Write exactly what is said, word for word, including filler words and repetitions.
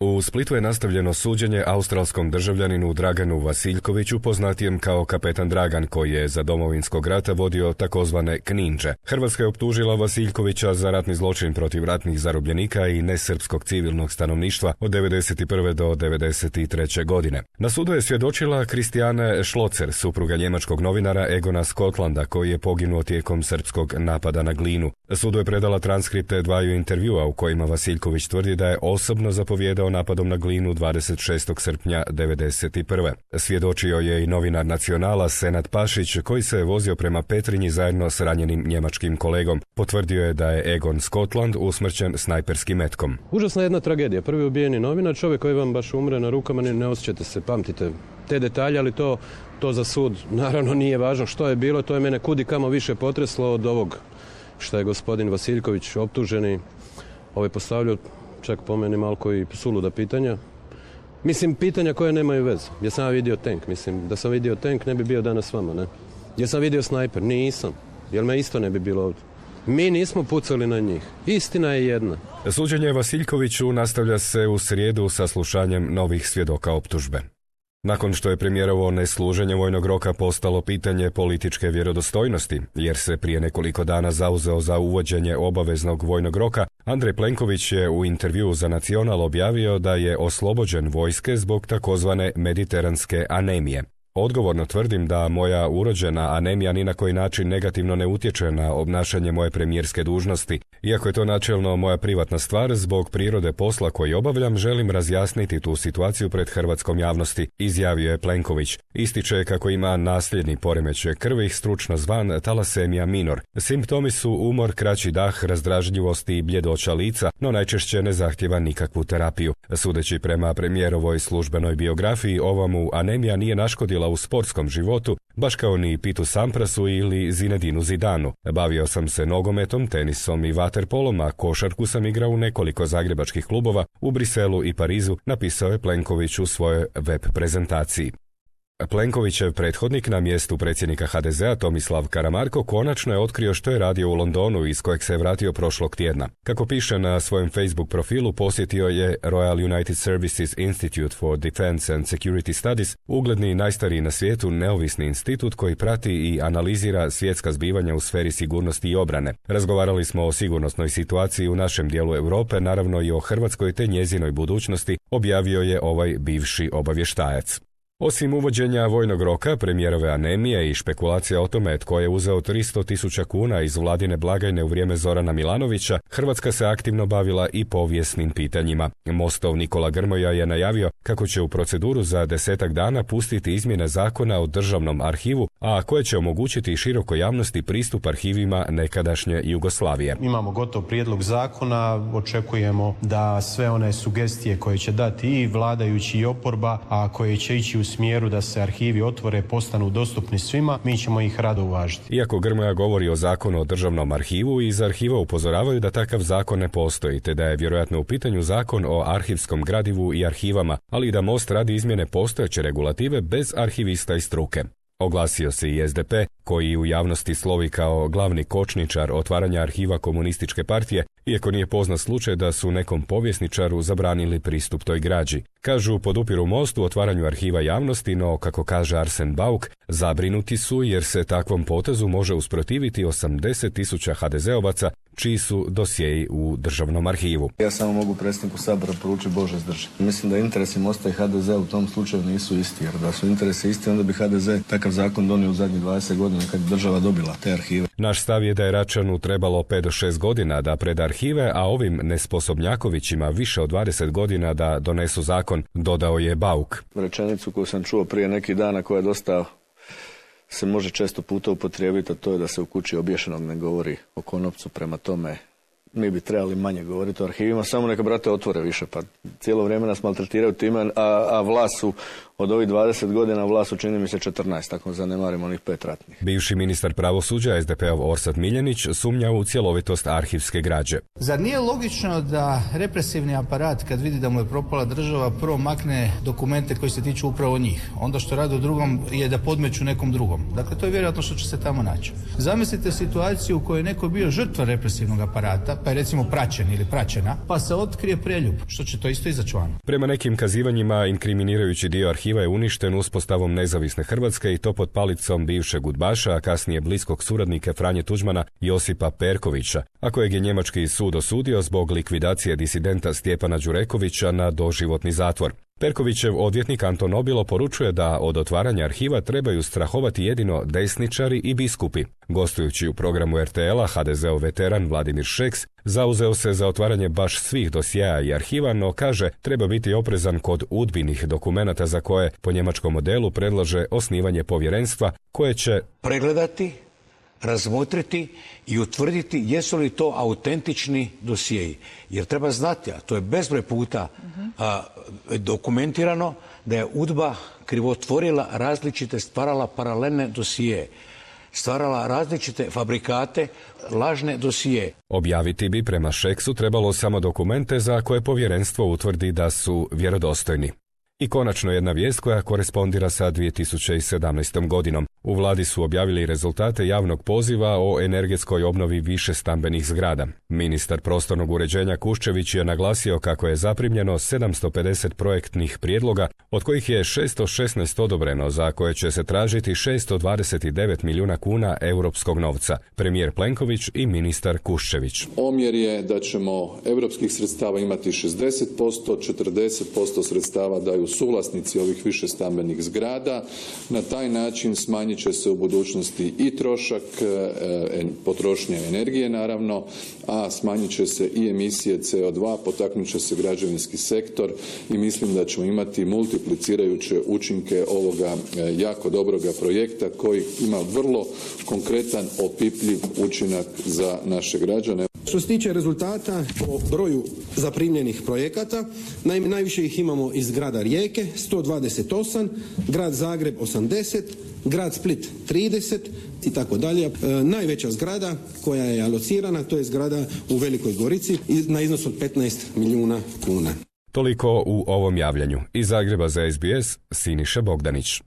U Splitu je nastavljeno suđenje australskom državljaninu Draganu Vasiljkoviću, poznatijem kao kapetan Dragan, koji je za Domovinskog rata vodio takozvane Kninđe. Hrvatska je optužila Vasiljkovića za ratni zločin protiv ratnih zarobljenika i nesrpskog civilnog stanovništva od devedeset prve do devedeset treće godine. Na sudu je svjedočila Kristijane Šlocer, supruga njemačkog novinara Egona Scottlanda, koji je poginuo tijekom srpskog napada na Glinu. Sudu je predala transkripte dvaju intervjua u kojima Vasiljković tvrdi da je osobno zapovjedao napadom na Glinu dvadeset šestog srpnja devedeset prve. Svjedočio je i novinar Nacionala Senad Pašić, koji se je vozio prema Petrinji zajedno s ranjenim njemačkim kolegom. Potvrdio je da je Egon Scotland usmrćen snajperskim metkom. Užasna jedna tragedija. Prvi ubijeni novinar, čovjek koji vam baš umre na rukama, ne, ne osjećate se, pamtite te detalje, ali to, to za sud naravno nije važno što je bilo. To je mene kudi kamo više potreslo od ovog što je gospodin Vasiljković optuženi ovaj postavljao, čak po meni malko i suluda pitanja. Mislim, pitanja koje nemaju veze. Ja sam vidio tank, mislim, da sam vidio tank ne bi bio danas s vama, ne? Ja sam vidio snajper, nisam, jer me isto ne bi bilo ovdje. Mi nismo pucali na njih. Istina je jedna. Suđenje Vasiljkoviću nastavlja se u srijedu sa slušanjem novih svjedoka optužbe. Nakon što je premijerovo nesluženje vojnog roka postalo pitanje političke vjerodostojnosti, jer se prije nekoliko dana zauzeo za uvođenje obaveznog vojnog roka, Andrej Plenković je u intervjuu za Nacional objavio da je oslobođen vojske zbog takozvane mediteranske anemije. Odgovorno tvrdim da moja urođena anemija ni na koji način negativno ne utječe na obnašanje moje premijerske dužnosti. Iako je to načelno moja privatna stvar, zbog prirode posla koji obavljam, želim razjasniti tu situaciju pred hrvatskom javnosti, izjavio je Plenković. Ističe kako ima nasljedni poremećaj krvi, stručno zvan talasemija minor. Simptomi su umor, kraći dah, razdražljivost i bljedoća lica, no najčešće ne zahtjeva nikakvu terapiju. Sudeći prema premijerovoj službenoj biografiji, ova mu anemija nije naškodila u sportskom životu, baš kao ni Pitu Samprasu ili Zinedinu Zidanu. Bavio sam se nogometom, tenisom i vaterpolom, a košarku sam igrao u nekoliko zagrebačkih klubova u Briselu i Parizu, napisao je Plenković u svojoj web prezentaciji. Plenkovićev prethodnik na mjestu predsjednika ha de zea Tomislav Karamarko konačno je otkrio što je radio u Londonu, iz kojeg se je vratio prošlog tjedna. Kako piše na svojem Facebook profilu, posjetio je Royal United Services Institute for Defense and Security Studies, ugledni i najstariji na svijetu neovisni institut koji prati i analizira svjetska zbivanja u sferi sigurnosti i obrane. Razgovarali smo o sigurnosnoj situaciji u našem dijelu Europe, naravno i o Hrvatskoj te njezinoj budućnosti, objavio je ovaj bivši obavještajac. Osim uvođenja vojnog roka, premijerove anemije i špekulacija o tome tko je uzeo tristo tisuća kuna iz vladine blagajne u vrijeme Zorana Milanovića, Hrvatska se aktivno bavila i povijesnim pitanjima. Mostov Nikola Grmoja je najavio kako će u proceduru za desetak dana pustiti izmjene zakona o državnom arhivu, a koje će omogućiti širokoj javnosti pristup arhivima nekadašnje Jugoslavije. Imamo gotov prijedlog zakona, očekujemo da sve one sugestije koje će dati i vladajući i oporba, a koje će ići u smjeru da se arhivi otvore, postanu dostupni svima, mi ćemo ih rado uvažiti. Iako Grmoja govori o zakonu o državnom arhivu, iz arhiva upozoravaju da takav zakon ne postoji, te da je vjerojatno u pitanju zakon o arhivskom gradivu i arhivama, ali i da Most radi izmjene postojeće regulative bez arhivista i struke. Oglasio se i es de pe, koji u javnosti slovi kao glavni kočničar otvaranja arhiva komunističke partije, iako nije poznat slučaj da su nekom povjesničaru zabranili pristup toj građi. Kažu, podupiru Most u otvaranju arhiva javnosti, no, kako kaže Arsen Bauk, zabrinuti su jer se takvom potezu može usprotiviti osamdeset tisuća ha de zeovaca, čiji su dosjeji u državnom arhivu. Ja samo mogu predsjedniku Sabora poručiti Bože zdrži. Mislim da interesi Mosta i ha de zea u tom slučaju nisu isti, jer da su interesi isti, onda bi ha de ze takav zakon donio u zadnjih dvadeset godina kad je država dobila te arhive. Naš stav je da je Račanu trebalo pet do šest godina da preda arhive, a ovim nesposobnjakovićima više od dvadeset godina da donesu zakon, dodao je Bauk. Rečenicu koju sam čuo prije neki dana, koja je dosta se može često puta upotrijebiti, a to je da se u kući obješenog ne govori o konopcu. Prema tome, mi bi trebali manje govoriti o arhivima, samo neka brate otvore više, pa cijelo vrijeme nas maltretiraju time, a, a vlast su od ovih dvadeset godina vlast čini mi se četrnaest, ako zanemarimo onih pet ratnih. Bivši ministar pravosuđa es de peov Orsat Miljenić sumnja u cjelovitost arhivske građe. Zar nije logično da represivni aparat, kad vidi da mu je propala država, prvo makne dokumente koji se tiču upravo njih? Onda što rade u drugom je da podmeću nekom drugom. Dakle, to je vjerojatno što će se tamo naći. Zamislite situaciju u kojoj je neko bio žrtva represivnog aparata, pa je recimo praćen ili praćena, pa se otkrije preljub, što će to isto izaći van. Prema nekim kazivanjima, inkriminirajući dio arhiva je uništen uspostavom nezavisne Hrvatske i to pod palicom bivšeg udbaša, a kasnije bliskog suradnika Franje Tuđmana Josipa Perkovića, a kojeg je njemački sud osudio zbog likvidacije disidenta Stjepana Đurekovića na doživotni zatvor. Perkovićev odvjetnik Anton Nobilo poručuje da od otvaranja arhiva trebaju strahovati jedino desničari i biskupi. Gostujući u programu er te el-a, ha de zeov veteran Vladimir Šeks zauzeo se za otvaranje baš svih dosjea i arhiva, no kaže treba biti oprezan kod udbinih dokumenata za koje po njemačkom modelu predlaže osnivanje povjerenstva koje će pregledati, razmotriti i utvrditi jesu li to autentični dosjeji. Jer treba znati, a to je bezbroj puta a, dokumentirano, da je UDBA krivotvorila različite, stvarala paralelne dosije, stvarala različite fabrikate, lažne dosije. Objaviti bi prema Šeksu trebalo samo dokumente za koje povjerenstvo utvrdi da su vjerodostojni. I konačno jedna vijest koja korespondira sa dvije tisuće sedamnaestom godinom. U vladi su objavili rezultate javnog poziva o energetskoj obnovi više stambenih zgrada. Ministar prostornog uređenja Kuščević je naglasio kako je zaprimljeno sedamsto pedeset projektnih prijedloga, od kojih je šesto šesnaest odobreno, za koje će se tražiti šesto dvadeset devet milijuna kuna europskog novca. Premijer Plenković i ministar Kuščević. Omjer je da ćemo europskih sredstava imati šezdeset posto, četrdeset posto sredstava daju suvlasnici ovih više stambenih zgrada. Na taj način smanjit će se u budućnosti i trošak e, potrošnje energije naravno, a smanjit će se i emisije ce o dva, potaknut će se građevinski sektor i mislim da ćemo imati multiplicirajuće učinke ovoga e, jako dobroga projekta koji ima vrlo konkretan opipljiv učinak za naše građane. Što se tiče rezultata po broju zaprimljenih projekata, naime najviše ih imamo iz grada Rijeke sto dvadeset osam, grad Zagreb osamdeset, grad Split trideset i tako dalje. E, najveća zgrada koja je alocirana to je zgrada u Velikoj Gorici na iznos od petnaest milijuna kuna. Toliko u ovom javljanju. Iz Zagreba za es be es, Siniša Bogdanić.